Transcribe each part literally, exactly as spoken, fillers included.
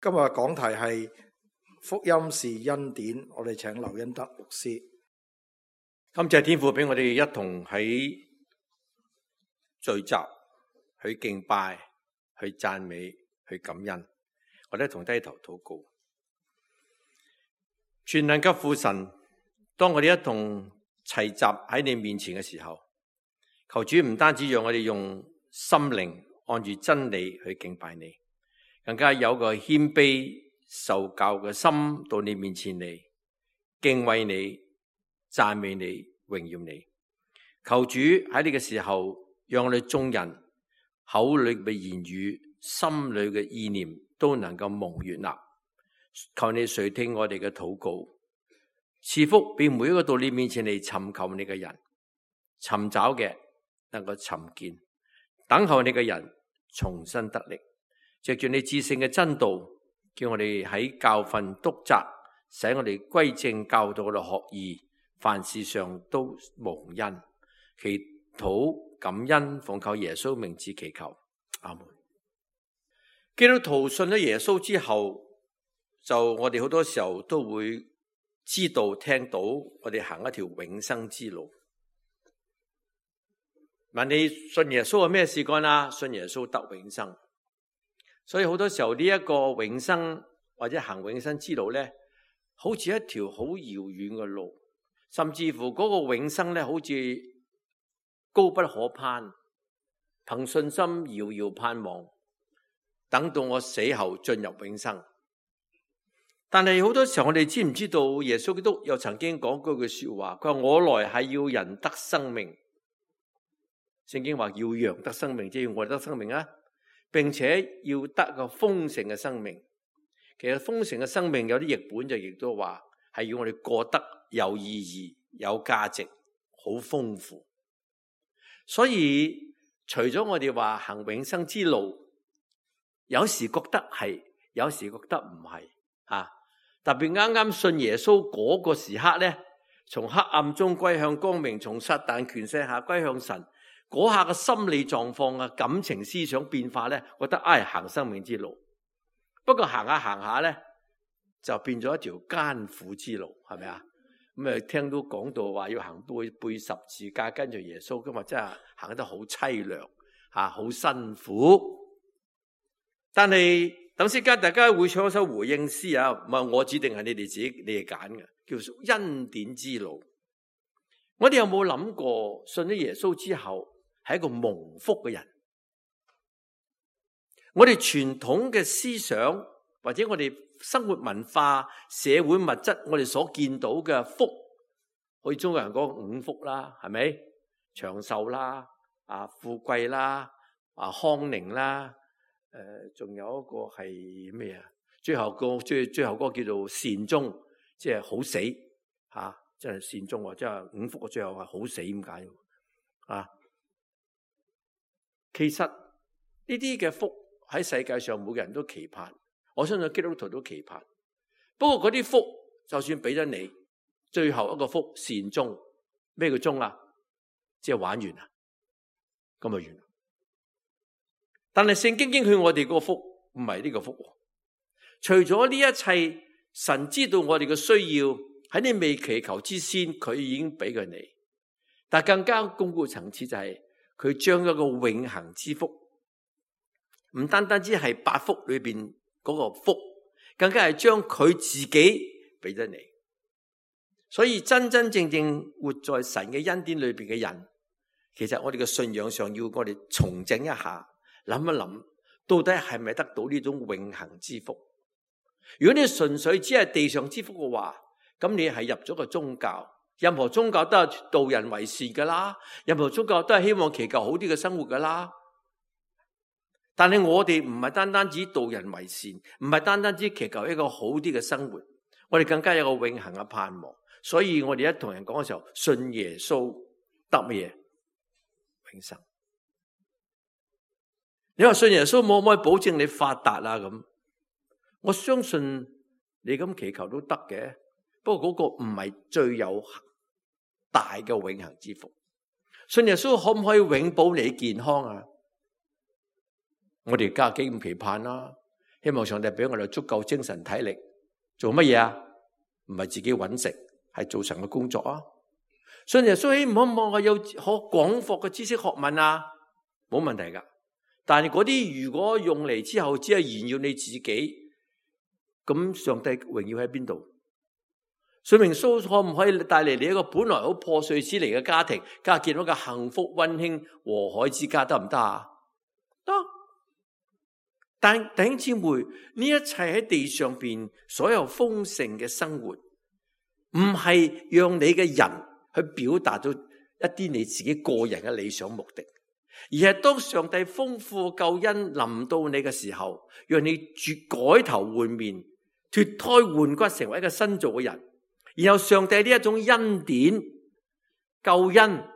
今日講題係福音是恩典，我哋請劉恩德牧師。感謝天父俾我哋一同喺聚集，去敬拜，去讚美，去感恩。我哋一同低頭禱告。全能嘅父神，當我哋一同齊集喺你面前嘅時候，求主唔單止讓我哋用心靈按住真理去敬拜你，更加有個謙卑受教嘅心到你面前嚟敬畏你、讚美你、榮耀你。求主喺呢個時候，讓我哋眾人口裏嘅言語、心裏嘅意念都能夠蒙悅納。求你垂聽我哋嘅禱告，賜福俾每一個到你面前嚟尋求你嘅人，尋找嘅能夠尋見，等候你嘅人重新得力。藉住你至聖嘅真道，叫我哋喺教訓督責，使我哋歸正教導我哋學義，凡事上都蒙恩。祈禱感恩，奉靠耶穌名字祈求，阿門。基督徒信咗耶穌之後，就我哋好多時候都會知道聽到我哋行一條永生之路。問你信耶穌係咩事幹啊？信耶穌得永生。所以好多時候呢一個永生或者行永生之路咧，好似一條好遙遠嘅路，甚至乎嗰個永生咧，好似高不可攀，憑信心遙遙盼望，等到我死後進入永生。但係好多時候我哋知唔知道耶穌基督又曾經講過句說話，佢話我來係要人得生命。聖經話要羊得生命，即係要我哋得生命啊，並且要得個豐盛嘅生命。其實豐盛嘅生命有啲譯本就亦都話係要我哋過得有意義、有價值、好豐富。所以除咗我哋話行永生之路，有時覺得係，有時覺得唔係啊。特別啱啱信耶穌嗰個時刻咧，從黑暗中歸向光明，從撒旦權勢下歸向神。嗰下嘅心理狀況啊、感情思想變化咧，覺得唉、哎、行生命之路。不過行下行下咧，就變咗一條艱苦之路，係咪啊？咁啊，聽到講到話要行背背十字架跟住耶穌，今日真係行得好凄涼吓，好辛苦。但係等陣間大家會唱一首回應詩啊，唔係我指定係你哋自己你哋揀嘅，叫做恩典之路。我哋有冇諗過信咗耶穌之後係一個蒙福嘅人？我哋傳統嘅思想或者我哋生活文化、社會物質，我哋所見到嘅福，好似中國人講五福啦，係咪？長壽啦，啊富貴啦，啊康寧啦，誒、呃，仲有一個係咩啊？最後個最最後嗰個叫做善終，即係好死吓，即係善終，即係五福嘅最後係好死咁解啊！其實呢啲嘅福喺世界上每個人都期盼，我相信基督徒都期盼。不過嗰啲福就算俾咗你，最後一個福善終，咩叫終啊？即係玩完啦，咁就完。但係聖經應許我哋個福唔係呢個福，除咗呢一切，神知道我哋嘅需要，喺你未祈求之先，佢已經俾佢你。但更加鞏固層次就係、是。佢將一個永恆之福，唔單單只係八福裏邊嗰個福，更加係將佢自己俾咗你。所以真真正正活在神嘅恩典裏邊嘅人，其實我哋嘅信仰上要我哋重整一下，諗一諗，到底係咪得到呢種永恆之福？如果你純粹只係地上之福嘅話，咁你係入咗個宗教。任何宗教都係導人為善噶啦，任何宗教都係希望祈求好啲嘅生活噶啦。但係我哋唔係單單只導人為善，唔係單單只祈求一個好啲嘅生活，我哋更加有個永恆嘅盼望。所以我哋一同人講嘅時候，信耶穌得乜嘢？永生。你話信耶穌可唔可以保證你發達啊？咁我相信你咁祈求都得嘅，不過嗰個唔係最有大嘅永恆之福。信耶穌可唔可以永保你健康啊？我哋家幾咁期盼啦，希望上帝俾我哋足夠精神體力，做乜嘢啊？唔係自己揾食，係做神嘅工作啊！信耶穌，唔好望我有好廣闊嘅知識學問啊，冇問題噶。但係嗰啲如果用嚟之後，只係炫耀你自己，咁上帝榮耀喺邊度？信耶穌可唔可以帶嚟你一個本來好破碎之嚟嘅家庭，加建到一個幸福溫馨和藹之家，得唔得啊？得。但弟兄姊妹，呢一切喺地上邊所有豐盛嘅生活，唔係讓你嘅人去表達到一啲你自己個人嘅理想目的，而係當上帝豐富救恩臨到你嘅時候，讓你絕改頭換面，脫胎換骨，成為一個新造嘅人。然後上帝呢一種恩典、救恩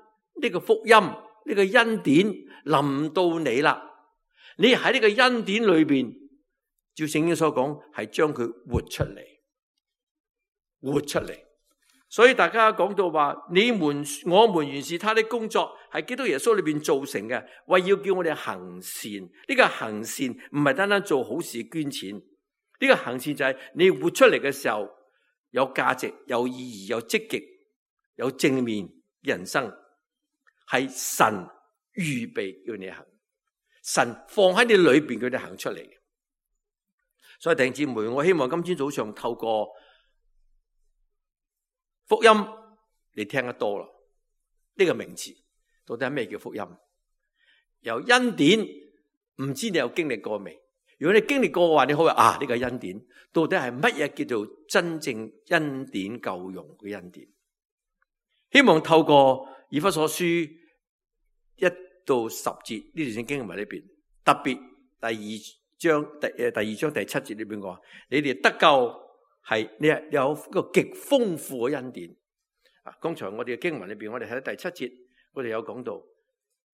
呢個福音、呢個恩典臨到你啦。你喺呢個恩典裏邊，照聖經所講，係將佢活出嚟，活出嚟。所以大家講到話，你們我們原是他的工作，係基督耶穌裏邊造成嘅，為要叫我哋行善。呢個行善唔係單單做好事捐錢，呢個行善就係你活出嚟嘅時候，有價值、有意義、有積極、有正面嘅人生，係神預備要你行。神放喺你裏邊，佢哋行出嚟。所以弟兄姊妹，我希望今天早上透過福音，你聽得多啦。呢個名詞到底係咩叫福音？由恩典，唔知你有經歷過未？如果你經歷過嘅話，你可以話啊，呢個恩典到底係乜嘢叫做真正恩典夠用嘅恩典？希望透過以弗所書一到十節呢段經文裏邊，特別第二章第誒第二章第七節裏邊講，你哋得救係你係有一個極豐富嘅恩典。啊，剛才我哋嘅經文裏邊，我哋睇第七節，我哋有講到，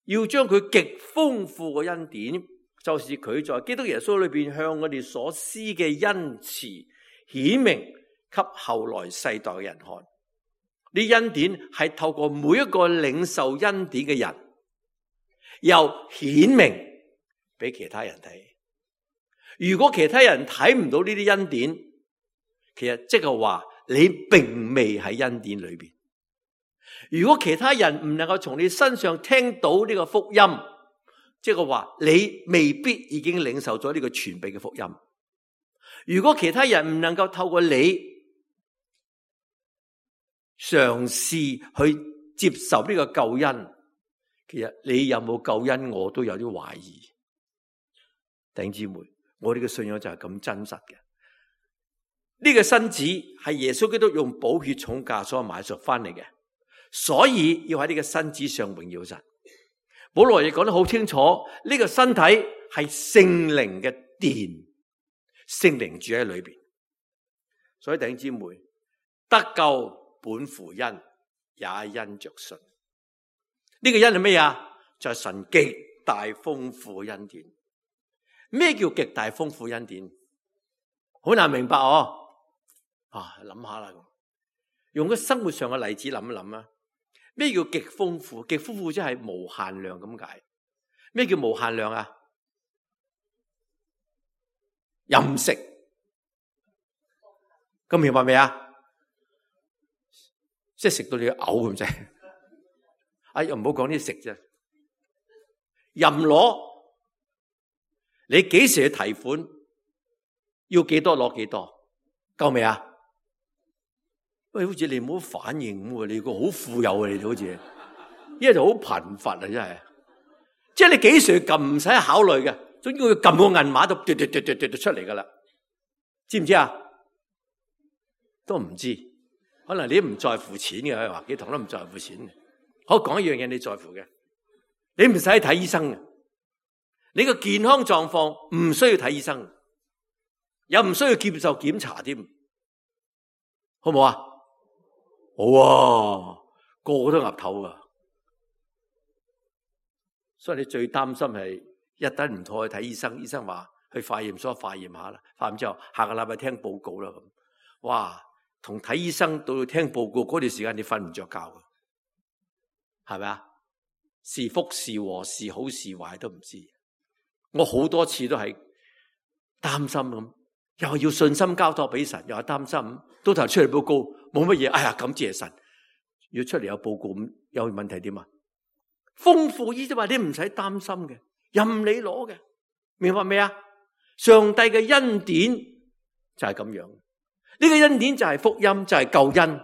要將佢極豐富嘅恩典，就是佢在基督耶穌裏邊向我哋所施嘅恩慈，顯明給後來世代嘅人看。呢恩典係透過每一個領受恩典嘅人，又顯明俾其他人睇。如果其他人睇唔到呢啲恩典，其實即係話你並未喺恩典裏邊。如果其他人唔能夠從你身上聽到呢個福音，即係話你未必已經領受咗呢個全備嘅福音。如果其他人唔能夠透過你嘗試去接受呢個救恩，其實你有冇救恩，我都有啲懷疑。弟兄姊妹，我哋嘅信仰就係咁真實嘅。呢個身子係耶穌基督用寶血重價所買贖翻嚟嘅，所以要喺呢個身子上榮耀神。保羅亦講得好清楚，呢個身體係聖靈嘅殿，聖靈住喺裏邊。所以弟兄姊妹，得救本乎恩，也因着信。呢個恩係咩啊？就係神極大豐富嘅恩典。咩叫極大豐富恩典？好難明白哦。啊，諗下啦，用個生活上嘅例子諗一諗啊。咩叫極豐富？極豐富即係無限量咁解。咩叫無限量啊？任食，咁明白未啊？即係食到你嘔咁滯。哎呀，唔好講啲食啫，任攞，你幾時去提款？要幾多攞幾多？夠未啊？喂，好似你冇反應咁，你個好富有啊！你哋好似，一係就好貧乏啊！真係，即係你幾時撳唔使考慮嘅，總之佢撳個銀碼就嘟嘟嘟嘟嘟嘟出嚟噶啦，知唔知啊？都唔知，可能你唔在乎錢嘅，話幾堂都唔在乎錢嘅。好，講一樣嘢你在乎嘅，你唔使睇醫生嘅，你個健康狀況唔需要睇醫生，又唔需要接受檢查添，好唔好啊？好啊，個個都岌頭啊！所以你最擔心係一旦唔妥去睇醫生，醫生話去化驗所化驗下啦，化完之後下個禮拜聽報告啦咁。哇，同睇醫生到聽報告嗰段時間你瞓唔着覺㗎，係咪啊？是福是禍是好是壞都唔知。我好多次都係擔心咁，又係要信心交託俾神，又係擔心，到頭出嚟報告冇乜嘢，哎呀感謝神，要出嚟有報告咁有問題點啊？豐富意思話你唔使擔心嘅，任你攞嘅，明白未啊？上帝嘅恩典就係咁樣，呢個恩典就係福音，就係救恩。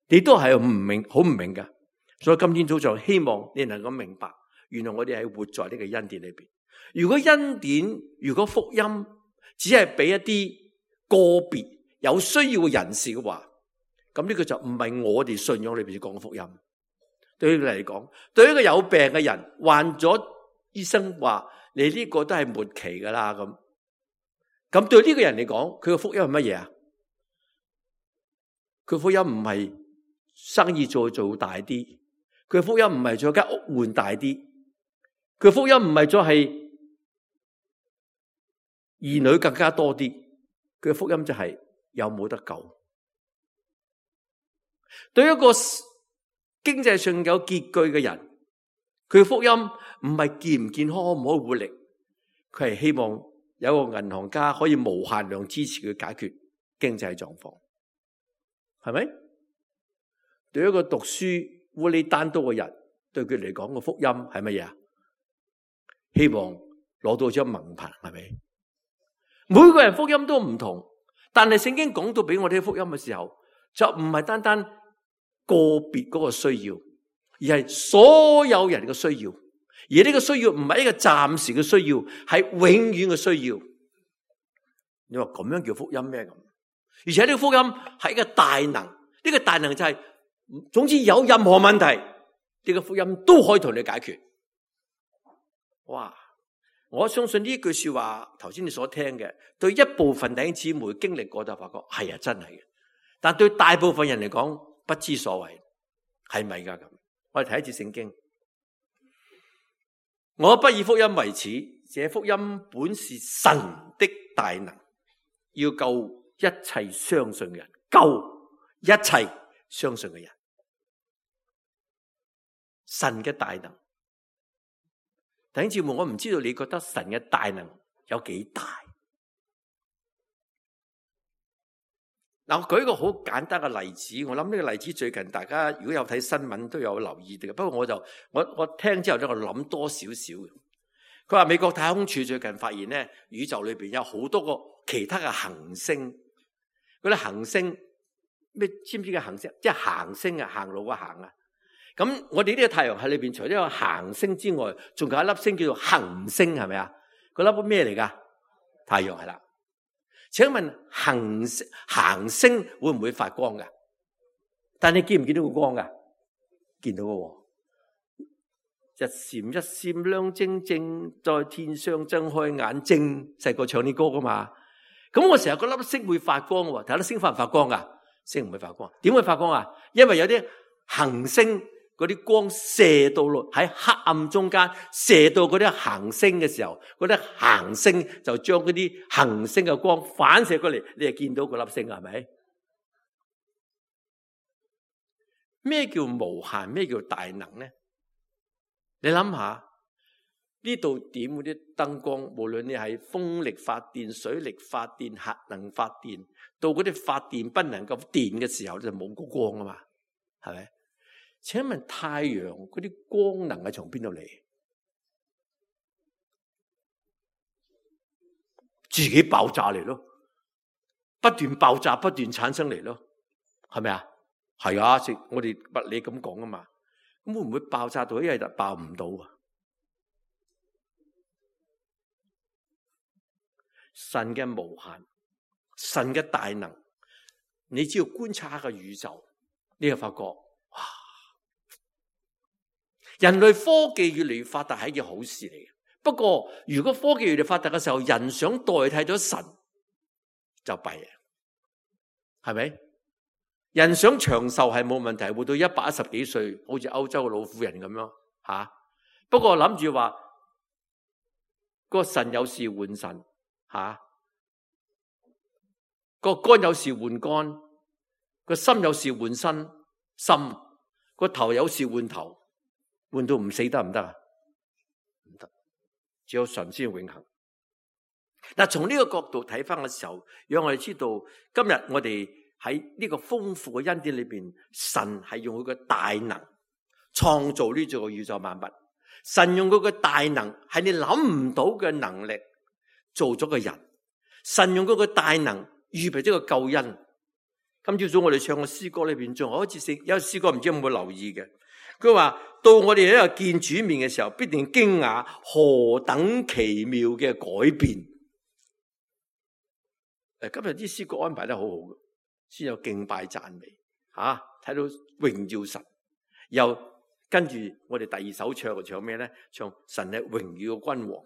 你都係唔明，好唔明噶，所以今天早上希望你能夠明白，原來我哋係活在呢個恩典裏邊。如果恩典，如果福音只係俾一啲個別有需要嘅人士嘅話，咁呢個就唔係我哋信仰裏邊講嘅福音。對於佢嚟講，對於一個有病嘅人患咗，醫生話你呢個都係末期噶啦，咁咁對呢個人嚟講，佢嘅福音係乜嘢啊？佢福音唔係生意再做大啲，佢福音唔係再間屋換大啲，佢福音唔係再係兒女更加多啲，佢福音就係有冇得救。對一個經濟上有拮據嘅人，佢福音唔係健唔健康，可唔可以活力，佢係希望有個銀行家可以無限量支持佢解決經濟狀況，係咪？對一個讀書烏里單刀嘅人，對佢嚟講個福音係乜嘢啊？希望攞到張文憑，係咪？每個人福音都唔同，但係聖經講到俾我哋福音嘅時候，就唔係單單個別嗰個需要，而係所有人嘅需要。而呢個需要唔係一個暫時嘅需要，係永遠嘅需要。你話咁樣叫福音咩咁？而且呢個福音係一個大能，呢個大能就係，總之有任何問題，呢個福音都可以同你解決。哇！我相信呢句說話，頭先你所聽嘅，對一部分弟兄姊妹經歷過就發覺係啊，真係嘅。但對大部分人嚟講，不知所謂，係咪噶咁？我哋睇一次聖經。我不以福音為恥，這福音本是神的大能，要救一切相信嘅人，救一切相信嘅人。神嘅大能，弟兄姊妹，我唔知道你覺得神嘅大能有幾大？嗱，我舉一個好簡單嘅例子，我諗呢個例子最近大家如果有睇新聞都有留意嘅。不過我就我我聽之後咧，我諗多少少嘅。佢話美國太空署最近發現咧，宇宙裏邊有好多個其他嘅行星，嗰啲行星咩？知唔知嘅行星？即係行星啊，行路嘅行啊。咁我哋呢個太陽系裏邊，除咗有行星之外，仲有一粒星叫做恆星，係咪啊？嗰粒咩嚟噶？太陽係啦。請問行星行星會唔會發光噶？但你見唔見到個光噶？見到嘅，日閃一閃亮晶晶，在天上睜開眼睛。細個唱啲歌噶嘛？咁我成日嗰粒星會發光喎，睇粒星發唔發光噶？星唔會發光，點會發光啊？因為有啲行星嗰啲光射到落喺黑暗中間，射到嗰啲行星嘅時候，嗰啲行星就將嗰啲行星嘅光反射過嚟，你就見到嗰粒星，係咪？咩叫無限？咩叫大能呢？你諗下呢度點嗰啲燈光，無論你係風力發電、水力發電、核能發電，到嗰啲發電不能夠電嘅時候，就冇個光啊嘛，係咪？請問太陽嗰啲光能係從邊度嚟？自己爆炸嚟咯，不斷爆炸，不斷產生嚟咯，係咪啊？係啊，食我哋物理咁講啊嘛。咁會唔會爆炸到一日就爆唔到啊？神嘅無限，神嘅大能，你只要觀察下個宇宙，你就發覺哇！人類科技越嚟越發達係一件好事嚟嘅。不過如果科技越嚟越發達嘅時候，人想代替咗神就弊啊，係咪？人想長壽係冇問題，活到一百一十幾歲，好似歐洲嘅老婦人咁樣吓。不過諗住話個腎有事換腎吓，個肝有事換肝，個心有事換心心，個頭有事換頭。換到唔死得唔得啊？唔得，只有神先永恆。嗱，從呢個角度睇翻嘅時候，讓我哋知道今日我哋喺呢個豐富嘅恩典裏邊，神係用佢嘅大能創造呢座宇宙萬物。神用佢嘅大能係你諗唔到嘅能力做咗個人。神用佢嘅大能預備咗個救恩。今朝早我哋唱嘅詩歌裏邊，仲有一次有詩歌，唔知有冇留意嘅？佢話到我哋喺度見主面嘅時候，必定驚訝何等奇妙嘅改變。誒，今日啲詩歌安排得好好嘅，先有敬拜讚美，吓、啊、睇到榮耀神。又跟住我哋第二首唱唱咩咧？唱神係榮耀嘅君王。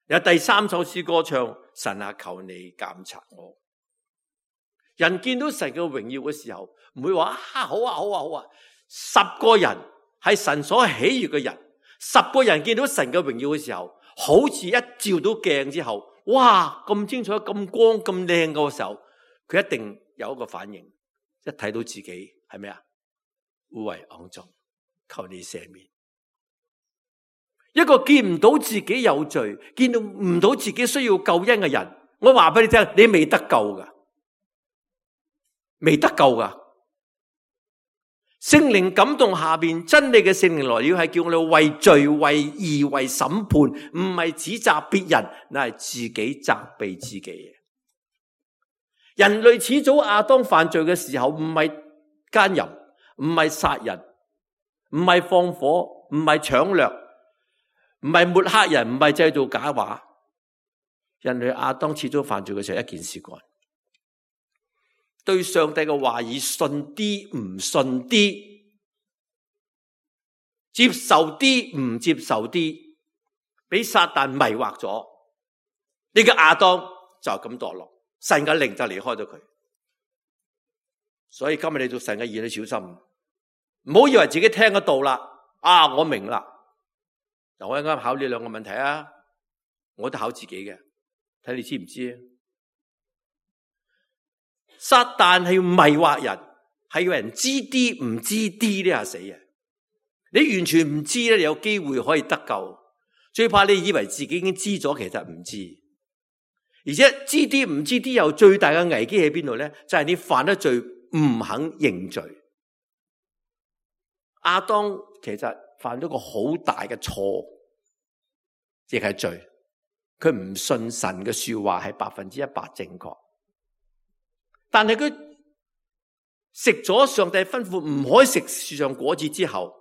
有第三首詩歌唱神啊，求你監察我。人見到神嘅榮耀嘅時候，唔會話啊好啊好啊好啊。十個人係神所喜悅嘅人，十個人見到神嘅榮耀嘅時候，好似一照到鏡之後，哇咁清楚、咁光、咁靚嘅時候，佢一定有一個反應，一睇到自己係咩啊？污穢骯髒，求你赦免。一個見唔到自己有罪，見到唔到自己需要救恩嘅人，我話俾你聽，你未得救噶，未得救噶。聖靈感動下邊真理嘅聖靈來了，係叫我哋為罪、為義、為審判，唔係指責別人，乃係自己責備自己。人類始祖亞當犯罪嘅時候，唔係奸淫，唔係殺人，唔係放火，唔係搶掠，唔係抹黑人，唔係製造假話。人類亞當始祖犯罪嘅時候，一件事幹，對上帝嘅話語信啲唔信啲，接受啲唔接受啲，俾撒旦迷惑咗，呢個亞當就咁墮落，神嘅靈就離開咗佢。所以今日你做神嘅兒女，小心，唔好以為自己聽得到啦，啊我明啦。嗱，我啱啱考呢兩個問題啊，我都考自己嘅，睇你知唔知啊？撒旦係要迷惑人，係要人知啲唔知啲呢，係死啊！你完全唔知咧，你有機會可以得救。最怕你以為自己已經知咗，其實唔知。而且知啲唔知啲，有最大嘅危機喺邊度咧？就係你犯咗罪唔肯認罪。亞當其實犯咗個好大嘅錯，亦係罪。佢唔信神嘅說話係百分之一百正確。但係佢食咗上帝吩咐唔可以食樹上果子之後，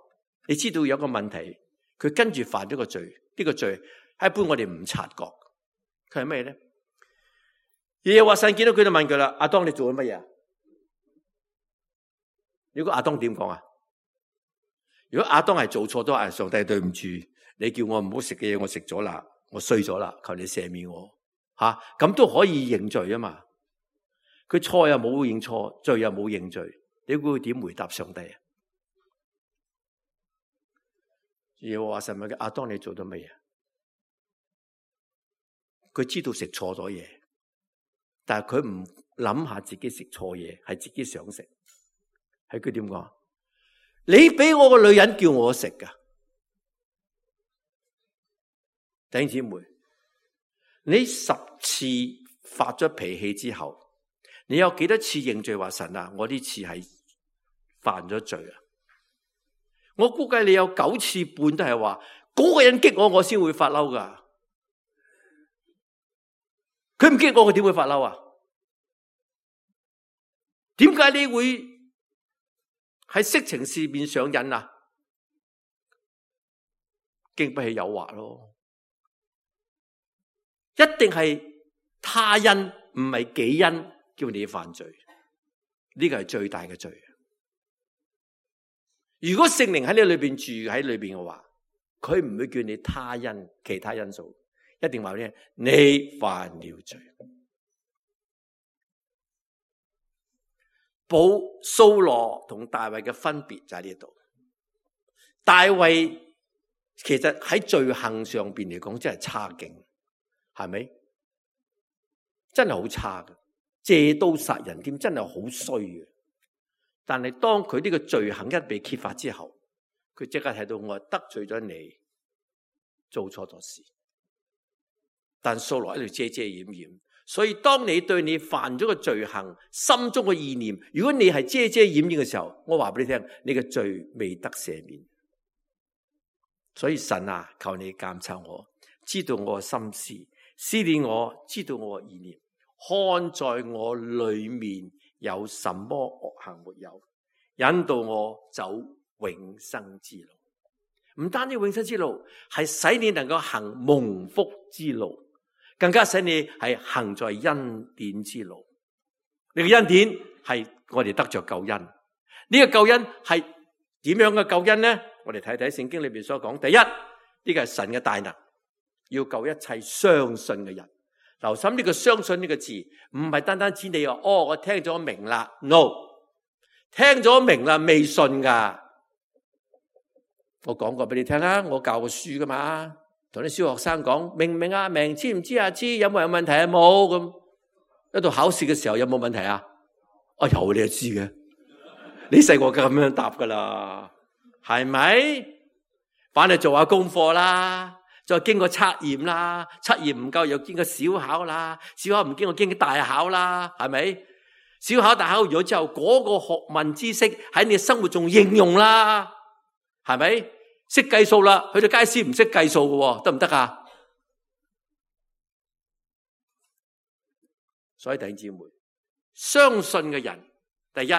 你知道有個問題，佢跟住犯咗個罪。呢個罪一般我哋唔察覺，佢係咩咧？耶和華神見到佢就問佢啦：亞當你做咗乜嘢啊？如果亞當點講啊？如果亞當係做錯咗，啊上帝對唔住，你叫我唔好食嘅嘢我食咗啦，我衰咗啦，求你赦免我吓，咁都可以認罪啊嘛。佢錯又冇認錯，罪又冇認罪，你估佢點回答上帝啊？耶和華神問佢：亞當你做咗乜嘢？佢知道食錯咗嘢，但係佢唔諗下自己食錯嘢，係自己想食。係佢點講？你俾我個女人叫我食噶，弟兄姊妹，你十次發咗脾氣之後，你有幾多次認罪話神啊？我呢次係犯咗罪啊！我估計你有九次半都係話嗰個人激我，我先會發嬲噶。佢唔激我，佢點會發嬲啊？點解你會喺色情事面上癮啊？經不起誘惑咯，一定係他因唔係己因。叫你犯罪，呢個係最大嘅罪。如果聖靈喺你裏邊住喺裏邊嘅話，佢唔會叫你他因其他因素，一定話咧你犯了罪。保掃羅同大衛嘅分別就喺呢度。大衛其實喺罪行上邊嚟講真係差勁，係咪？真係好差嘅。借刀殺人添，真係好衰嘅。但係當佢呢個罪行一被揭發之後，佢即刻睇到我得罪咗你，做錯咗事。但掃羅喺度遮遮掩掩。所以當你對你犯咗個罪行，心中嘅意念，如果你係遮遮掩掩嘅時候，我話俾你聽，你嘅罪未得赦免。所以神啊，求你監察我，知道我嘅心思，思念我，知道我嘅意念，看在我裏面有什麼惡行沒有，引導我走永生之路。唔單止永生之路，係使你能夠行蒙福之路，更加使你係行在恩典之路。你嘅恩典係我哋得着救恩。呢、這個救恩係點樣嘅救恩呢？我哋睇睇聖經裏邊所講。第一，呢、這個係神嘅大能，要救一切相信嘅人。留心呢個相信呢個字，唔係單單指你話哦，我聽咗明啦。No， 聽咗明啦，未信噶。我講過俾你聽啦，我教過書噶嘛，同啲小學生講，明唔明啊？明，知唔知啊？知，有冇有問題啊？冇。咁一到考試嘅時候有冇問題啊？啊有，你就知嘅。你細個咁樣答噶啦，係咪？反正做下功課啦，再經過測驗啦，測驗唔夠又經過小考啦，小考唔經過經過大考啦，係咪？小考大考完咗之後，嗰個學問知識喺你生活中應用啦，係咪？識計數啦，去到街市唔識計數嘅，得唔得啊？所以弟兄姊妹，相信嘅人，第一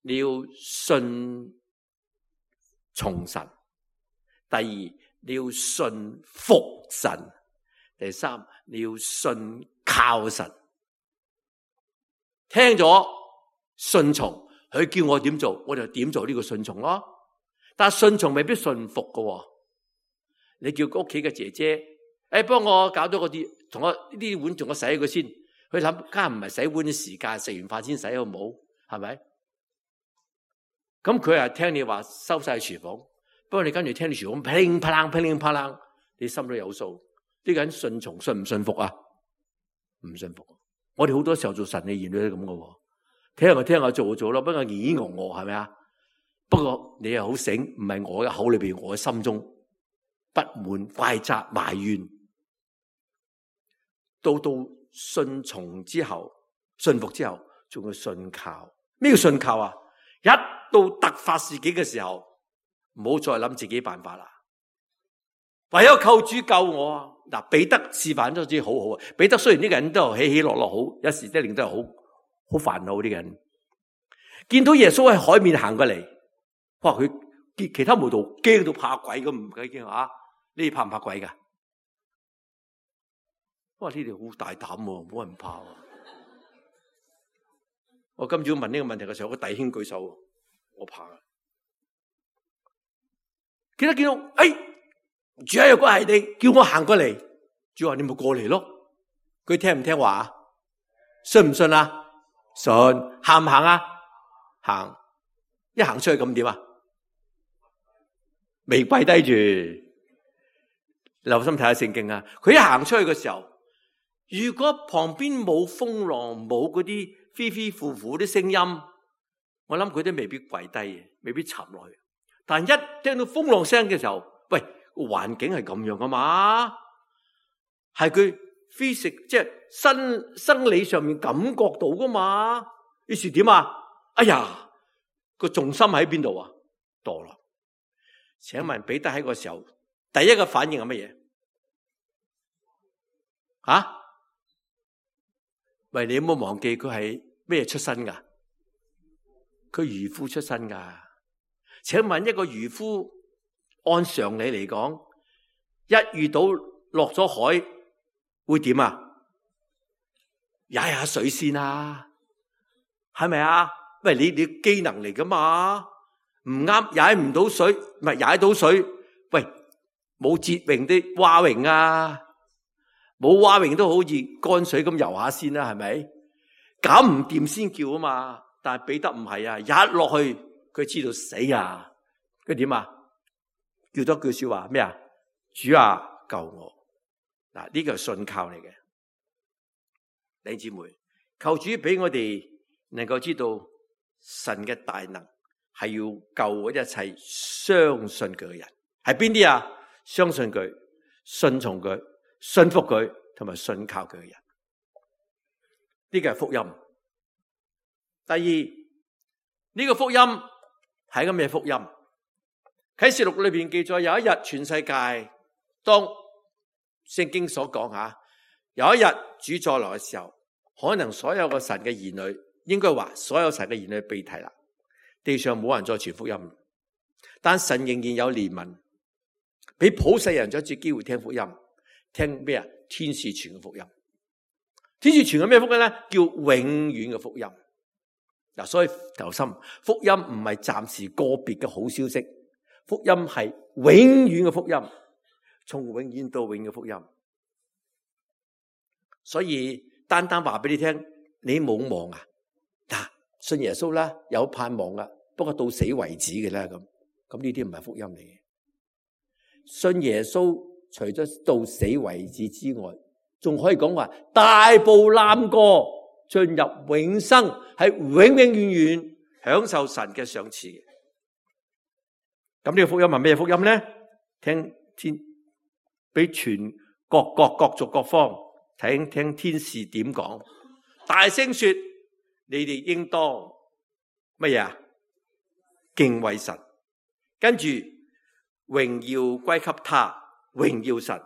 你要信從神；第二你要信服神；第三你要信靠神。聽咗順從，佢叫我點做，我就點做呢個順從咯。但係順從未必順服嘅。你叫屋企嘅姐姐，誒，幫我搞咗嗰啲，同我呢啲碗，同我洗佢先。佢諗，梗係唔係洗碗嘅時間，食完飯先洗好唔好？係咪？咁佢係聽你話收晒廚房，不過你跟住聽你廚房噼里啪啦噼里啪啦，你心都有數。呢個人順從信唔信服啊？唔信服。我哋好多時候做神嘅兒女都係咁嘅，聽下我聽下做就做咯，不過咿咿我我係咪啊？不過你又好醒，唔係我嘅口裏邊，我嘅心中不滿、怪責、埋怨，到到順從之後、信服之後，仲要信靠。咩叫信靠啊？一到突發事件嘅時候，唔好再諗自己辦法啦，唯有靠主救我啊！嗱，彼得示範咗啲好好啊。彼得雖然呢個人都起起落落好，有時一定都係好好煩惱呢個人。見到耶穌喺海面行過嚟，哇！佢其他門徒驚到怕鬼咁，唔計驚啊！你哋怕唔怕鬼噶？哇！呢啲好大膽喎，冇人怕喎。我今朝問呢個問題嘅時候，個弟兄舉手，我怕。記得見到，哎，主啊，如果係你叫我行過嚟，主話你咪過嚟咯。佢聽唔聽話啊？信唔信啊？信。行唔行啊？行。一行出去咁點啊？未跪低住，留心睇下聖經啊！佢一行出去嘅時候，如果旁邊冇風浪，冇嗰啲飛飛呼呼啲聲音，我諗佢都未必跪低，未必沉落去。但一聽到風浪聲嘅時候，喂，環境係咁樣噶嘛？係佢 physical 即係生生理上面感覺到噶嘛？於是點啊？哎呀，個重心喺邊度啊？墮落。請問彼得喺個時候第一個反應係乜嘢？啊？喂，你有冇忘記佢係咩出身噶？佢漁夫出身噶。請問一個漁夫按常理嚟講，一遇到落咗海會點啊？踩下水先啊，係咪啊？喂，你你機能嚟噶嘛？唔啱，踩唔到水，唔係踩到水。喂，冇折泳啲蛙泳啊，冇蛙泳都好似乾水咁游下先啦，係咪？搞唔掂先叫啊嘛。但係彼得唔係啊，一落去佢知道死啊，佢點啊？叫多句說話咩啊？主啊，救我！嗱，呢個係信靠嚟嘅，弟兄姊妹，求主俾我哋能夠知道神嘅大能係要救一切相信佢嘅人，係邊啲啊？相信佢、信從佢、信服佢同埋信靠佢嘅人。呢個係福音。第二，呢個福音係一個咩福音？啟示錄裏邊記載，有一日全世界，當聖經所講吓，有一日主再來嘅時候，可能所有個神嘅兒女，應該話所有神嘅兒女被提啦，地上冇人再傳福音，但神仍然有憐憫，俾普世人再一次機會聽福音。聽咩啊？天使傳嘅福音。天使傳嘅咩福音咧？叫永遠嘅福音。嗱，所以留心，福音唔係暫時個別嘅好消息，福音係永遠嘅福音，從永遠到永遠嘅福音。所以單單話俾你聽，你冇望啊？嗱，信耶穌啦，有盼望啊，不過到死為止嘅啦，咁咁呢啲唔係福音嚟嘅。信耶穌除咗到死為止之外，仲可以講話大步攬過進入永生，係永永遠遠享受神嘅賞賜嘅。咁呢個福音係咩福音咧？聽天俾全各國各族各方聽聽天使點講，大聲說：你哋應當乜嘢啊？敬畏神，跟住榮耀歸給他，榮耀神，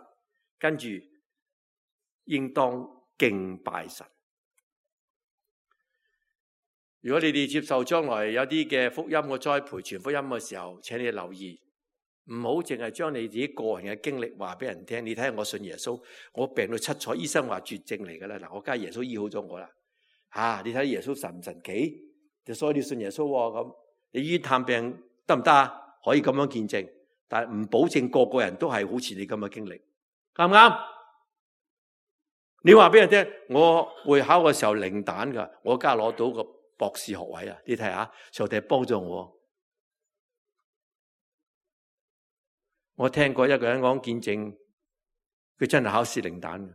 跟住應當敬拜神。如果你哋接受將來有啲嘅福音嘅栽培傳福音嘅時候，請你留意，唔好淨係將你自己個人嘅經歷話俾人聽。你睇下我信耶穌，我病到七彩，醫生話絕症嚟噶啦。嗱，我家耶穌醫好咗我啦。啊，你睇耶穌神唔神奇？就所以你信耶穌咁，你醫院探病得唔得啊？可以咁樣見證，但係唔保證個個人都係好似你咁嘅經歷，啱唔啱？你話俾人聽，我會考嘅時候零蛋噶，我家攞到個博士學位啊！你睇下，上帝幫助我。我聽過一個人講見證，佢真係考試零蛋嘅，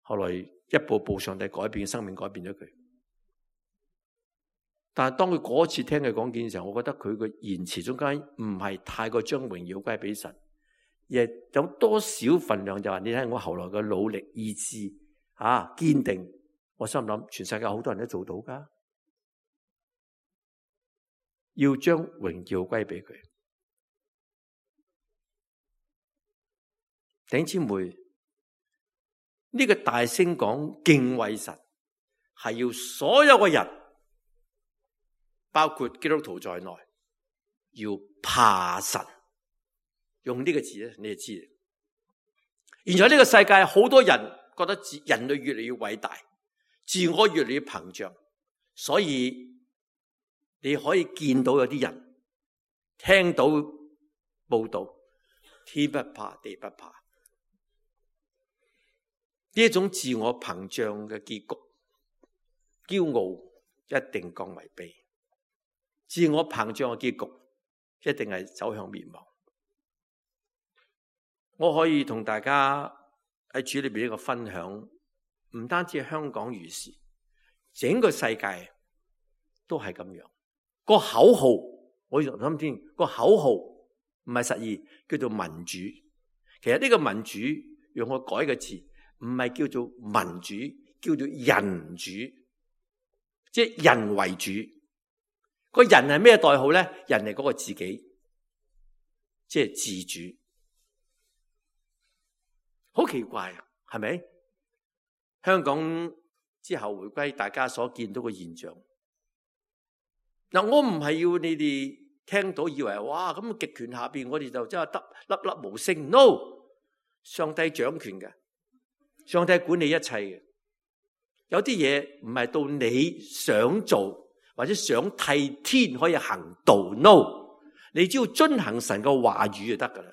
後來一步步上帝改變生命，改變咗佢。但係當佢嗰次聽佢講見嘅時候，我覺得佢個言辭中間唔係太過將榮耀歸俾神，而係有多少份量就話，你睇我後來嘅努力意志啊堅定，我心諗全世界好多人都做到噶，要將榮耀歸俾佢。弟兄姊妹，呢個大聲講敬畏神，係要所有嘅人，包括基督徒在內，要怕神。用呢個字咧，你就知。現在呢個世界好多人覺得自人類越嚟越偉大，自我越嚟越膨脹，所以你可以見到有啲人聽到報道，天不怕地不怕。呢一種自我膨脹嘅結局，驕傲一定降為卑。自我膨脹嘅結局，一定係走向滅亡。我可以同大家喺主裏邊一個分享，唔單止香港如是，整個世界都係咁樣。個口號，我諗先，個口號唔係實意，叫做民主。其實呢個民主用我改嘅字，唔係叫做民主，叫做人主，即係人為主。個人係咩代號咧？人係嗰個自己，即係自主。好奇怪啊，係咪？香港之後回歸，大家所見到嘅現象。嗱，我唔係要你哋聽到以為哇咁極權下邊，我哋就真係得粒粒無聲。No， 上帝掌權嘅。上帝管理一切嘅，有啲嘢唔係到你想做或者想替天可以行道 ，no， 你只要遵行神嘅話語就得噶啦。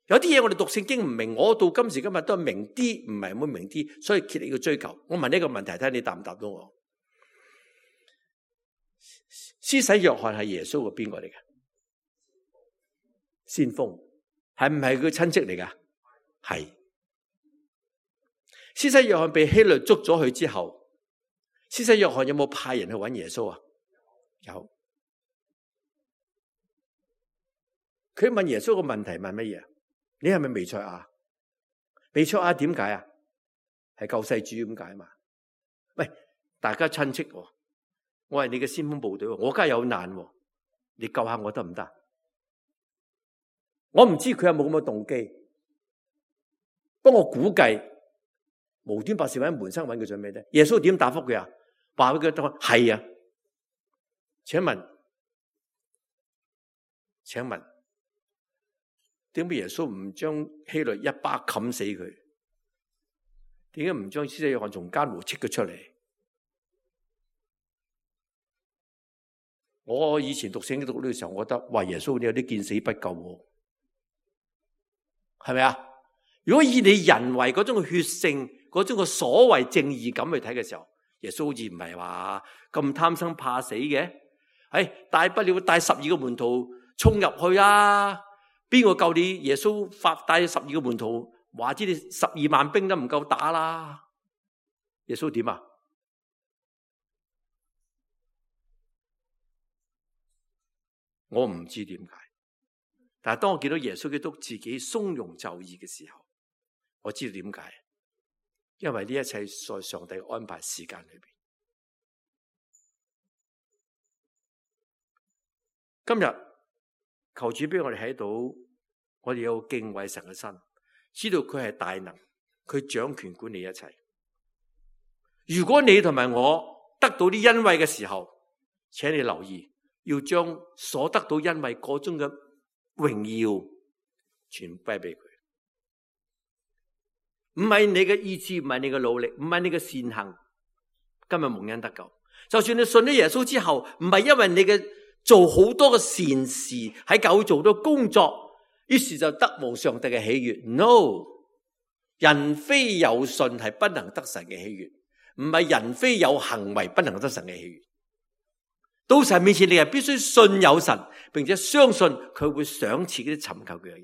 有啲嘢我哋讀聖經唔明，我到今時今日都係明啲，唔係冇明啲，所以竭力要追求。我問呢個問題，睇下你答唔答到我？施洗約翰係耶穌嘅邊個嚟嘅？先鋒係唔係佢親戚嚟噶？係。施洗約翰被希律捉咗去之後，施洗約翰有冇派人去揾耶穌啊？有。佢問耶穌個問題問乜嘢？你係咪彌賽亞？比賽亞點解啊？係救世主咁解嘛？喂，大家親戚喎，我係你嘅先鋒部隊喎，我梗係有難喎，你救下我得唔得？我唔知佢有冇咁嘅動機，不過我估計無端白事揾門生揾佢做咩咧？耶穌點答覆佢啊？話俾佢聽係啊。請問，請問，點解耶穌唔將希律一巴冚死佢？點解唔將施洗約翰從監牢撤佢出嚟？我以前讀聖經讀呢個時候，我覺得話耶穌你有啲見死不救喎，係咪啊？如果以你人為嗰種血性、嗰種嘅所謂正義感去睇嘅時候，耶穌好似唔係話咁貪生怕死嘅。哎，大不了帶十二個門徒衝入去啊！邊個救你？耶穌發帶十二個門徒，話知你十二萬兵都唔夠打啦。耶穌點啊？我唔知點解，但係當我見到耶穌基督自己從容就義嘅時候，我知道點解。因為呢一切在上帝安排時間裏邊。今日求主俾我哋睇到，我哋有敬畏神嘅心，知道佢係大能，佢掌權管理一切。如果你同埋我得到啲恩惠嘅時候，請你留意，要將所得到恩惠嗰種嘅榮耀全歸俾佢。唔係你嘅意志，唔係你嘅努力，唔係你嘅善行，今日蒙恩得救。就算你信咗耶穌之後，唔係因為你嘅做好多嘅善事，喺教會做到工作，於是就得蒙上帝嘅喜悅。No， 人非有信係不能得神嘅喜悅，唔係人非有行為不能得神嘅喜悅。到神面前，你係必須信有神，並且相信佢會賞賜嗰啲尋求佢嘅人。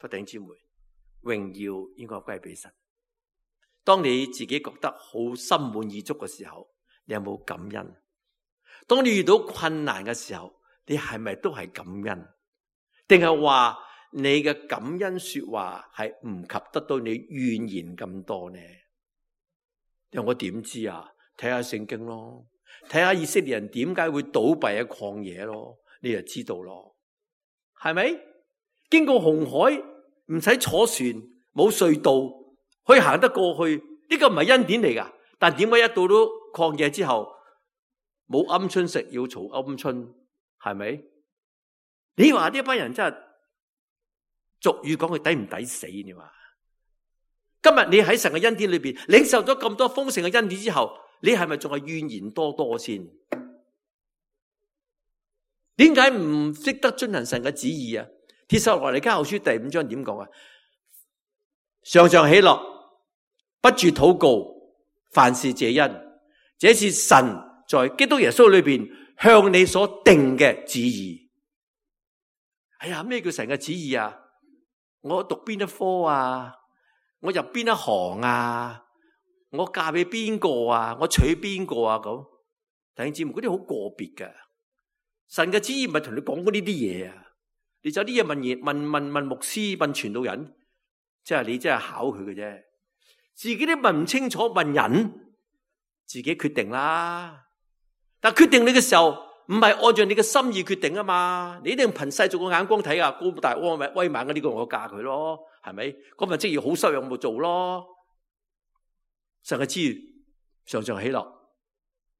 弟兄姊妹，榮耀應該歸俾神。當你自己覺得好心滿意足嘅時候，你有冇感恩？當你遇到困難嘅時候，你係咪都係感恩？定係話你嘅感恩說話係唔及得到你怨言咁多呢？因為我點知啊？睇下聖經咯，睇下以色列人點解會倒閉喺曠野咯，你就知道咯，係咪？經過紅海唔使坐船，冇隧道可以行得過去，呢個唔係恩典嚟噶。但點解一到到曠野之後，冇鵪鶉食要嘈鵪鶉，係咪？你話呢班人真係俗語講佢抵唔抵死？你話今日你喺神嘅恩典裏邊領受咗咁多豐盛嘅恩典之後，你係咪仲係怨言多多先？點解唔識得遵行神嘅旨意啊？帖撒羅尼迦後書第五章點講啊？常常喜樂，不住禱告，凡事謝恩，這是神在基督耶穌裏邊向你所定嘅旨意。哎呀，咩叫神嘅旨意啊？我讀邊一科啊？我入邊一行啊？我嫁俾邊個啊？我娶邊個啊？咁弟兄姊妹，嗰啲好個別嘅。神嘅旨意唔係同你講過呢啲嘢啊！你有啲嘢問嘢，問問問牧師，問傳道人，即係你真係考佢嘅啫。自己都問唔清楚，問人自己決定啦。但決定你嘅時候，唔係按照你嘅心意決定啊嘛。你一定憑世俗嘅眼光睇啊，高大威威猛嘅呢個我嫁佢咯，係咪？嗰份職業好收入我做咯。神嘅旨意常常喜樂，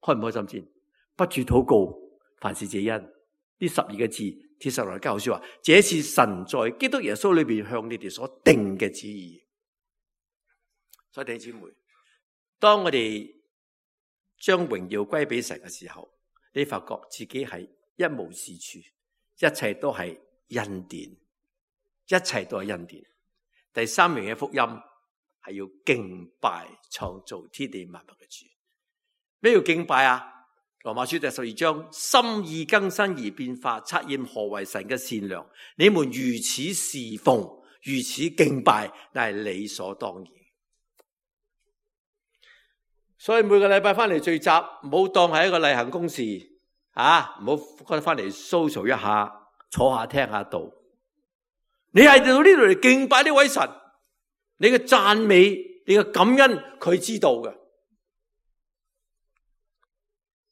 開唔開心先？不住禱告，凡事謝恩。呢十二個字，帖撒羅尼迦後書話：這是神在基督耶穌裏邊向你哋所定嘅旨意。所以弟兄姊妹，當我哋將榮耀歸俾神嘅時候，你發覺自己係一無是處，一切都係恩典，一切都係恩典。第三名嘅福音係要敬拜創造天地萬物嘅主。咩叫敬拜啊？羅馬書第十二章，心意更新而變化，察驗何為神嘅善良。你們如此侍奉，如此敬拜，那係理所當然。所以每個禮拜翻嚟聚集，唔好當係一個例行公事啊！唔好覺得翻嚟 social 一下，坐下聽下道。你係到呢度嚟敬拜呢位神，你嘅讚美，你嘅感恩，佢知道嘅。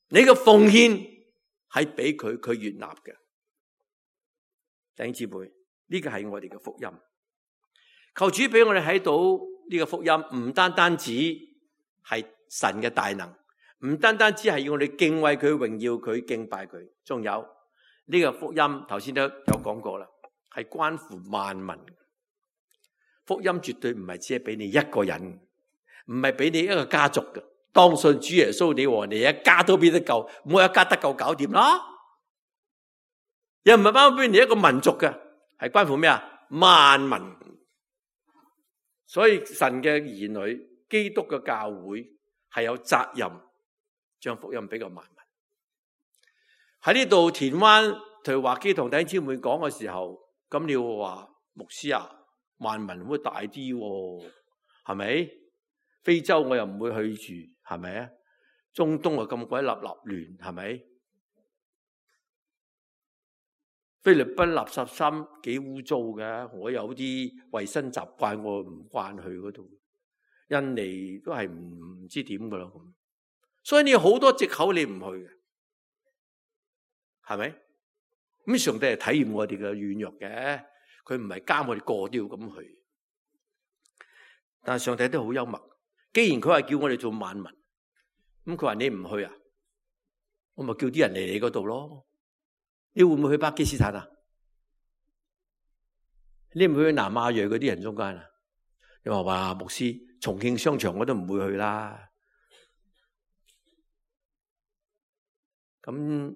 你嘅奉獻係俾佢，佢悅納嘅。弟兄姊妹，呢個係我哋嘅福音。求主俾我哋睇到呢個福音，唔單單止係神嘅大能，唔單單只係要我哋敬畏佢、榮耀佢、敬拜佢，仲有呢個福音，頭先都有講過啦，係關乎萬民。福音絕對唔係只係俾你一個人，唔係俾你一個家族嘅。當信主耶穌，你和你一家都變得救，我一家得救搞掂啦。又唔係包俾你一個民族嘅，係關乎咩啊？萬民。所以神嘅兒女，基督嘅教會係有責任將福音俾個萬民。喺呢度田灣同華基同弟兄姊妹講嘅時候，咁你要話牧師啊，萬民會大啲喎，係咪？非洲我又唔會去住，係咪啊？中東啊咁鬼立立亂，係咪？菲律賓垃圾山幾污糟嘅，我有啲衛生習慣，我唔慣去嗰度。印尼都係唔唔知點噶啦，咁所以你有好多藉口你唔去嘅，係咪？咁上帝係體驗我哋嘅軟弱嘅，佢唔係監我哋個都要咁去。但係上帝都好幽默。既然佢話叫我哋做萬民，咁佢話你唔去啊，我咪叫啲人嚟你嗰度咯。你會唔會去巴基斯坦啊？你唔會去南亞裔嗰啲人中間啊？你話話牧師，重慶商場我都唔會去啦。咁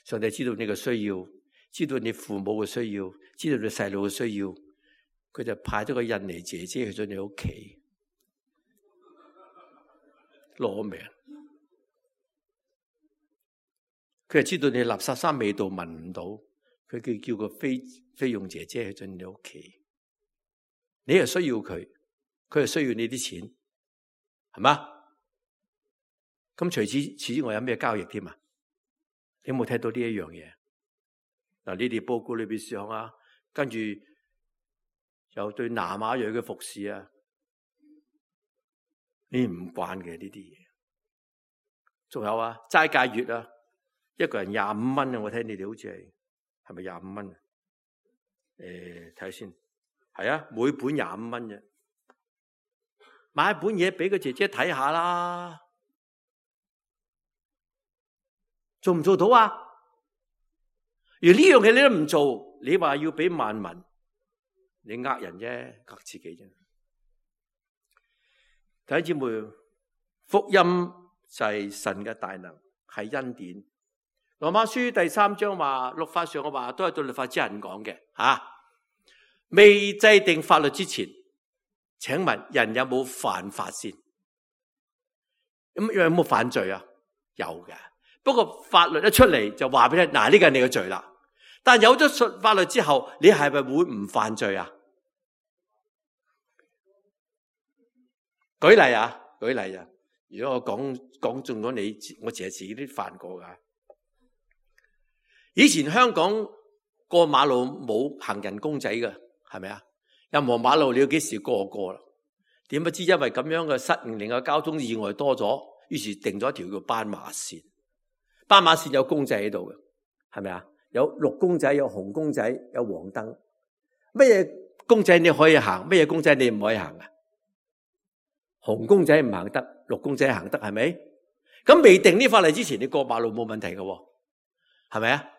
上帝知道你嘅需要，知道你父母嘅需要，知道你細路嘅需要，佢就派咗個印尼姐姐去咗你屋企。攞命，佢係知道你垃圾山味道聞唔到，佢叫叫個菲菲傭姐姐去進你屋企，你係需要佢，佢係需要你啲錢，係嘛？咁除此此之外有咩交易添啊？你有冇睇到呢一樣嘢？嗱，你哋報告裏邊上啊，跟住有對南亞裔嘅服侍啊。你唔慣嘅呢啲嘢，仲有啊齋戒月啊，一個人廿五蚊啊！我睇你哋好似係係咪廿五蚊啊？誒，睇下先，係啊，每本廿五蚊啫，買一本嘢俾個姐姐睇下啦，做唔做到啊？而呢樣嘢你都唔做，你話要俾萬民，你呃人啫，呃自己啫。弟兄姊妹，福音就係神嘅大能，係恩典。羅馬書第三章話，律法上嘅話都係對律法之人講嘅吓。未制定法律之前，請問人有冇犯法先？咁有冇犯罪啊？有嘅。不過法律一出嚟就話俾你，嗱，呢個係你嘅罪啦。但有咗法律之後，你係咪會唔犯罪啊？舉例啊，舉例啊！如果我講講中咗你，我淨係自己都犯過噶。以前香港過馬路冇行人公仔嘅，係咪啊？任何馬路你要幾時過過啦？點不知因為咁樣嘅失誤，令個交通意外多咗，於是定咗一條叫斑馬線。斑馬線有公仔喺度嘅，係咪啊？有綠公仔，有紅公仔，有黃燈。乜嘢公仔你可以行？乜嘢公仔你唔可以行啊？紅公仔唔行得，綠公仔行得，係咪？咁未定呢法例之前，你過馬路冇問題嘅，係咪啊？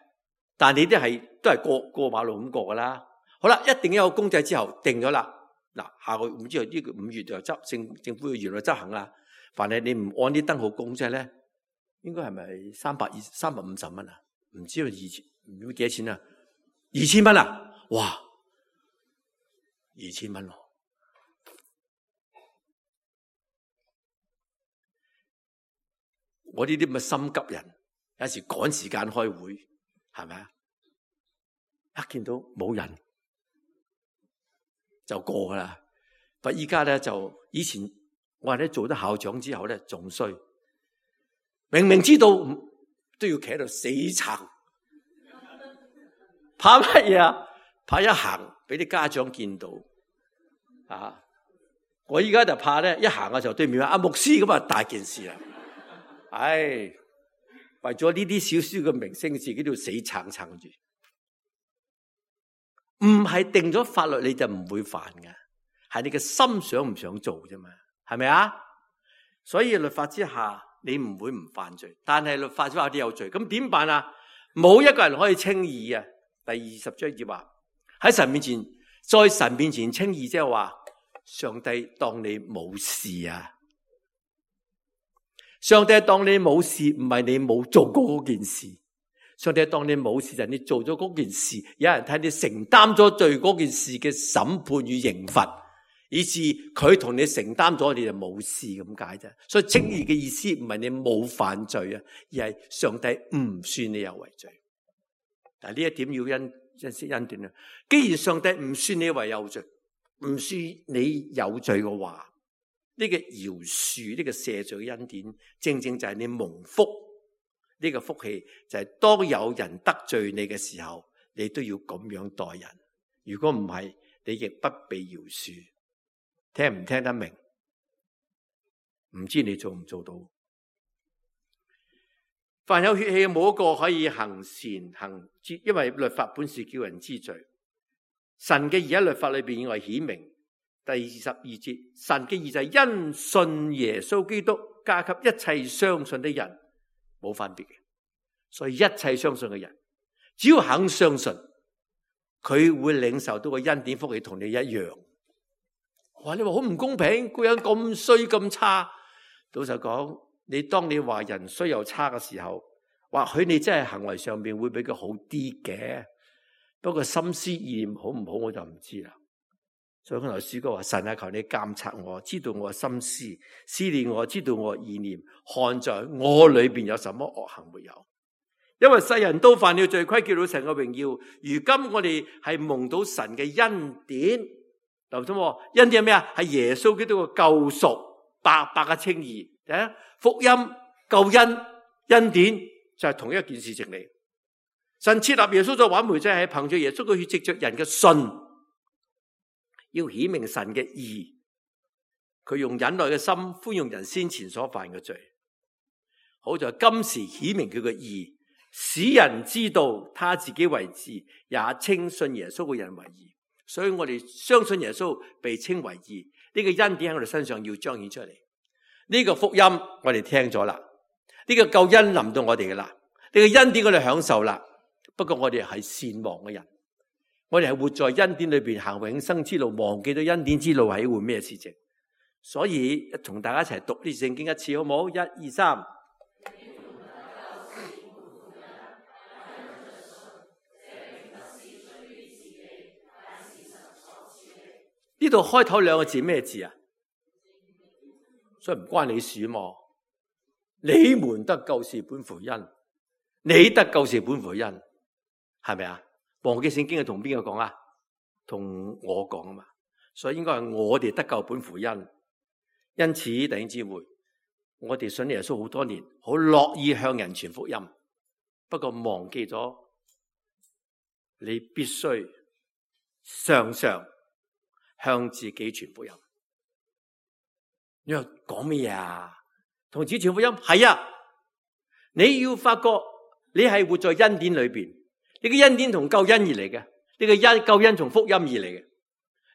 但你啲係都係過過馬路咁過噶啦。好啦，一定有個公仔之後定咗啦。嗱，下個唔知呢個五月就執政政府要原來執行啦。凡係你唔按啲燈號公仔咧，應該係咪三百二三百五十蚊啊？唔知道二千唔知幾多錢啊？二千蚊啊！哇，二千蚊咯！我呢啲咁嘅心急人，有時趕時間開會，係咪啊？一見到冇人就過噶啦。不過依家咧就以前我話咧做咗校長之後咧仲衰，明明知道都要企喺度死撐，怕乜嘢啊？怕一行俾啲家長見到啊，我依家就怕咧，一行嘅時候對面話阿牧師咁啊，大件事啦。唉，為咗呢啲少少嘅明星，自己都要死撐撐住。唔係定咗法律你就唔會犯嘅，係你嘅心想唔想做啫嘛，係咪啊？所以律法之下你唔會唔犯罪，但係律法之下你有罪，咁點辦啊？冇一個人可以稱義啊！第二十章節話喺神面前，在神面前稱義，即係話上帝當你冇事啊！上帝當你冇事，唔係你冇做過嗰件事。上帝當你冇事，就係你做咗嗰件事，有人睇你承擔咗罪嗰件事嘅審判與刑罰，以致佢同你承擔咗，你就冇事咁解啫。所以稱義嘅意思唔係你冇犯罪啊，而係上帝唔算你有為罪。但係呢一點要因因先恩斷啊。既然上帝唔算你為有罪，唔算你有罪嘅話，呢個饒恕、呢個赦罪嘅恩典，正正就係你蒙福。呢個福氣就係當有人得罪你嘅時候，你都要咁樣待人。如果唔係，你亦不被饒恕。聽唔聽得明？唔知你做唔做到？凡有血氣，冇一個可以行善行，因為律法本是叫人知罪。神嘅義喺律法裏邊我係顯明。第二十二節，神嘅義就係因信耶穌基督加給一切相信的人。冇分別嘅，所以一切相信嘅人，只要肯相信，佢會領受到個恩典福氣，同你一樣。哇！你話好唔公平，個人咁衰咁差。老實講，你當你話人衰又差嘅時候，或許你真係行為上面會比佢好啲嘅，不過心思意念好唔好我就唔知啦。所以剛才詩歌話：神啊，求你監察我，知道我心思，思念我，知道我意念，看在我裏邊有什麼惡行沒有。因為世人都犯了罪，虧缺到神嘅榮耀。如今我哋係蒙到神嘅恩典，留心喎，恩典係咩啊？係耶穌基督嘅救贖，白白嘅稱義。福音、救恩、恩典就係同一件事情嚟。神設立耶穌作挽回祭，係憑住耶穌嘅血，藉着人嘅信。要顯明神嘅義，佢用忍耐嘅心寬容人先前所犯嘅罪，好在今時顯明佢嘅義，使人知道他自己為義，也稱信耶穌嘅人為義。所以我哋相信耶穌被稱為義，呢個恩典喺我哋身上要彰顯出嚟。呢個福音我哋聽咗啦，呢個救恩臨到我哋噶啦，呢個恩典我哋享受啦。不過我哋係善忘嘅人。我哋係活在恩典裏邊行永生之路，忘記咗恩典之路係一回咩事情？所以同大家一齊讀呢聖經一次好唔好？一二三。呢度開頭兩個字咩字啊？所以唔關你事嘛。你們得救是本乎恩，你得救是本乎恩，係咪啊？忘記聖經係同邊個講啊？同我講啊嘛，所以應該係我哋得救本乎恩。因此弟兄姊妹，我哋信耶穌好多年，好樂意向人傳福音，不過忘記咗你必須常常向自己傳福音。你話講咩啊？同自己傳福音係啊，你要發覺你係活在恩典裏邊。呢個恩典同救恩而嚟嘅，呢個恩救恩從福音而嚟嘅。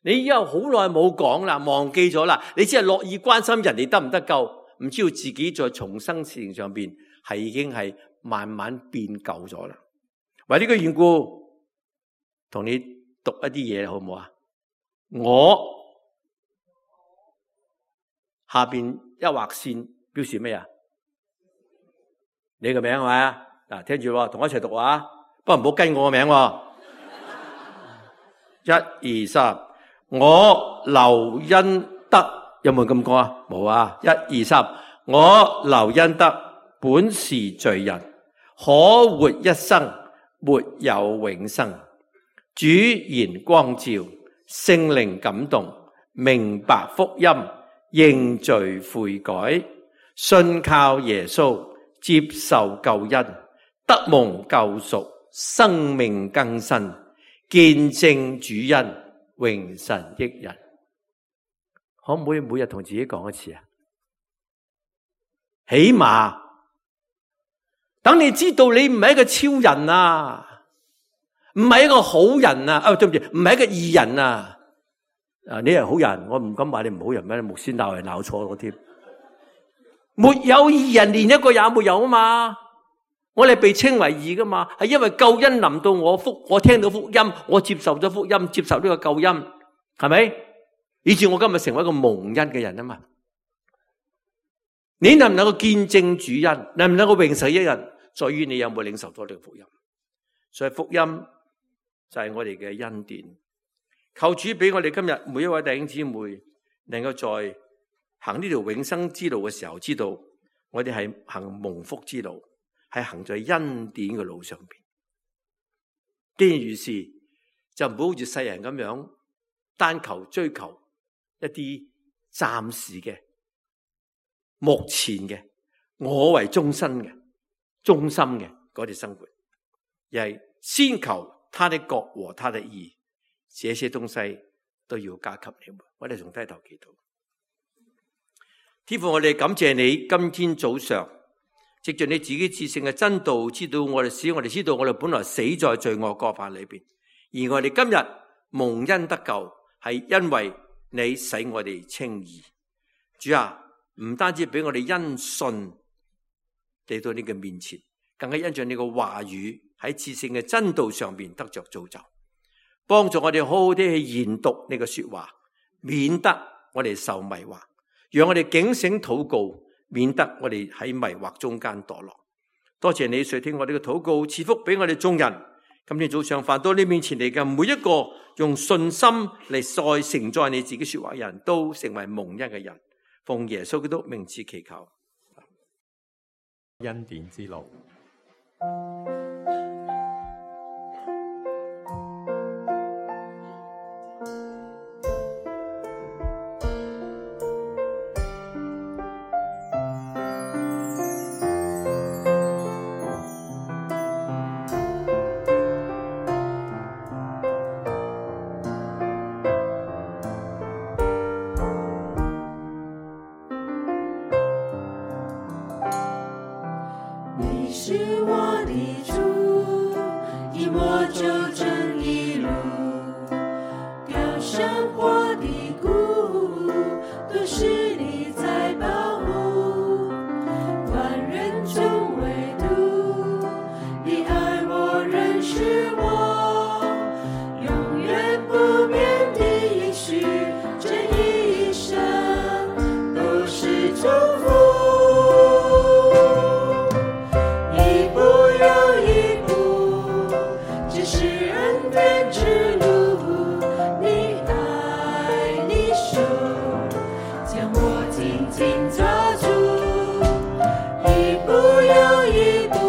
你以後好耐冇講啦，忘記咗啦，你只係樂意關心人哋得唔得救，唔知道自己在重生事情上邊係已經係慢慢變舊咗啦。為呢個緣故，同你讀一啲嘢好唔好啊？我下邊一劃線表示咩啊？你個名係咪啊？嗱，聽住，同我一齊讀啊！不過唔好跟我個名喎。一二三，我劉恩德有冇咁講啊？冇啊！一二三，我劉恩德本是罪人，可活一生沒有永生。主言光照，聖靈感動，明白福音，認罪悔改，信靠耶穌，接受救恩，得蒙救贖，生命更新，見證主恩，榮神益人。可唔可以每日同自己講一次啊？起碼等你知道你唔係一個超人啊，唔係一個好人啊，啊對唔住，唔係一個義人啊。啊，你係好人，我唔敢話你唔好人咩？牧師鬧係鬧錯咗添。沒有義人，連一個也沒有啊嘛。我哋被稱為義噶嘛，係因為救恩臨到我福，我聽到福音，我接受咗福音，接受呢個救恩，係咪？以致我今日成為一個蒙恩嘅人啊嘛。你能唔能夠見證主恩，能唔能夠榮受一人，在於你有冇領受到呢個福音。所以福音就係我哋嘅恩典。求主俾我哋今日每一位弟兄姊妹，能夠在行呢條永生之路嘅時候，知道我哋係行蒙福之路，係行在恩典嘅路上邊。既然如是，就唔好好似世人咁樣單求追求一啲暫時嘅、目前嘅、我為中心嘅、中心嘅嗰啲生活，而係先求他的國和他的義，這些東西都要加給你們。我哋從低頭祈禱。天父，我哋感謝你，今天早上藉着你自己至聖嘅真道，知道我哋使我哋知道我哋本來死在罪惡過犯裏邊，而我哋今日蒙恩得救，係因為你使我哋稱義。主啊，唔單止俾我哋因信嚟到你嘅面前，更加因着你嘅話語喺至聖嘅真道上邊得着造就，幫助我哋好好啲去研讀你嘅說話，免得我哋受迷惑。讓我哋警醒禱告，免得我哋喺迷惑中間墮落。多謝你垂聽我哋嘅禱告，賜福俾我哋眾人。今天早上返到你面前嚟嘅每一個用信心嚟再承載你自己說話嘅人，都成為蒙恩嘅人。奉耶穌基督名字祈求。恩典之路。一步又一步，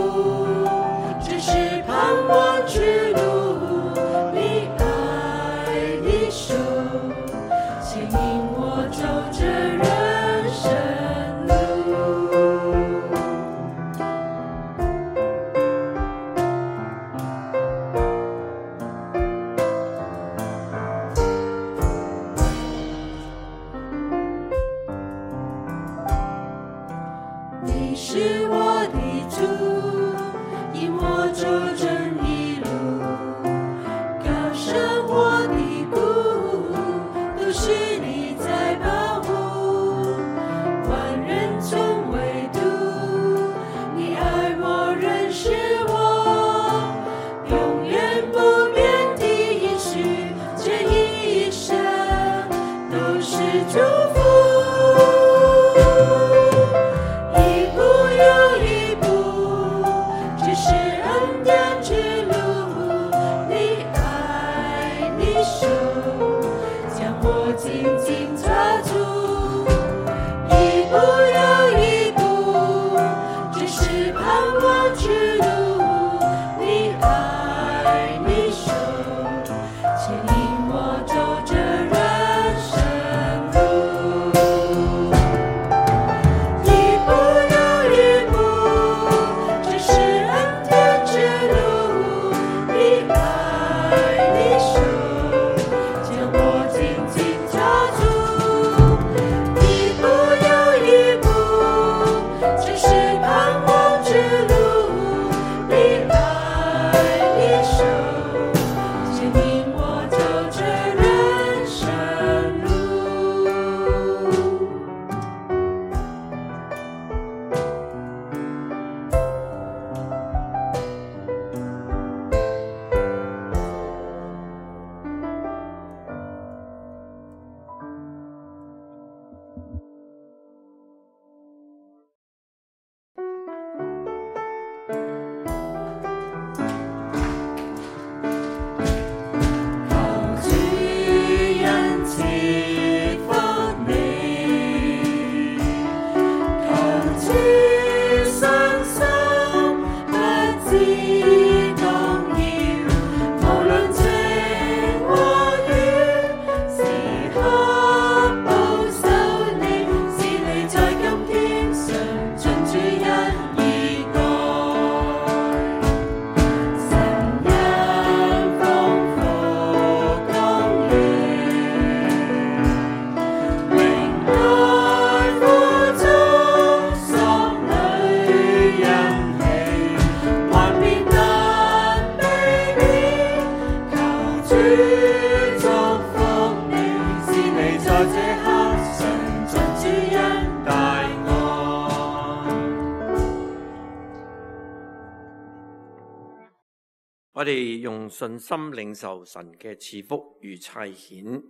我哋用信心領受神嘅賜福與差遣，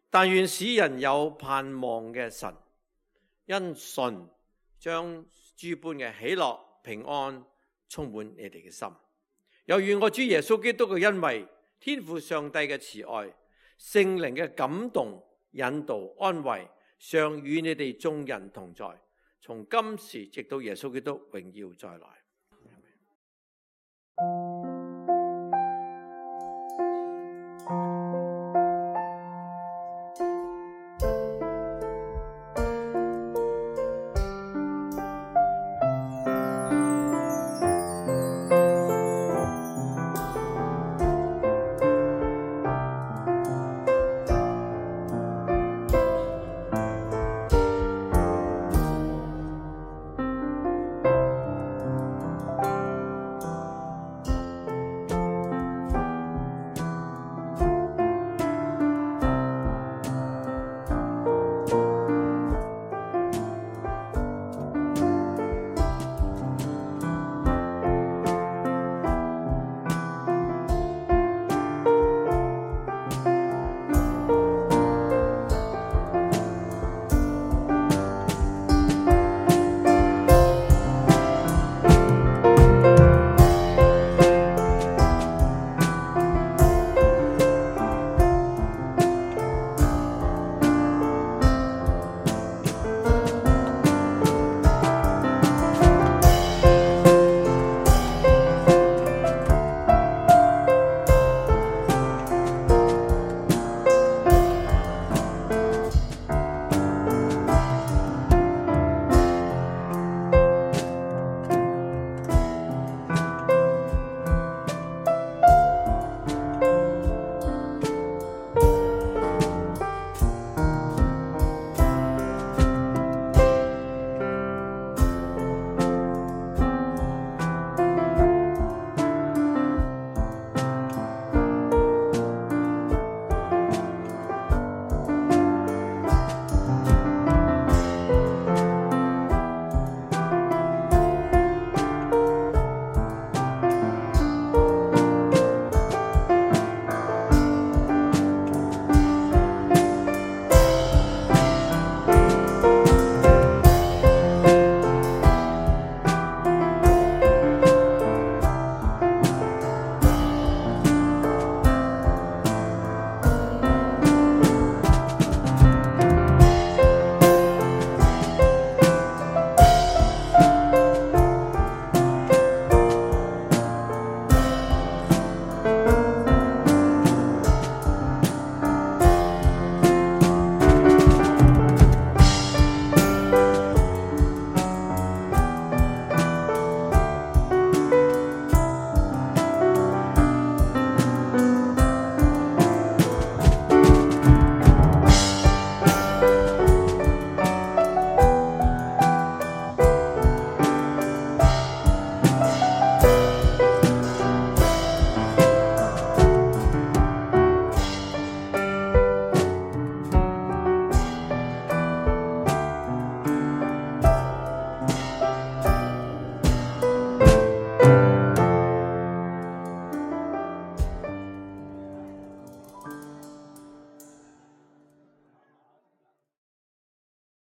但願使人有盼望嘅神，因信將諸般嘅喜樂平安充滿你哋嘅心。又願我主耶穌基督嘅恩惠、天父上帝嘅慈愛、聖靈嘅感動、引導、安慰，常與你哋眾人同在，從今時直到耶穌基督榮耀再來。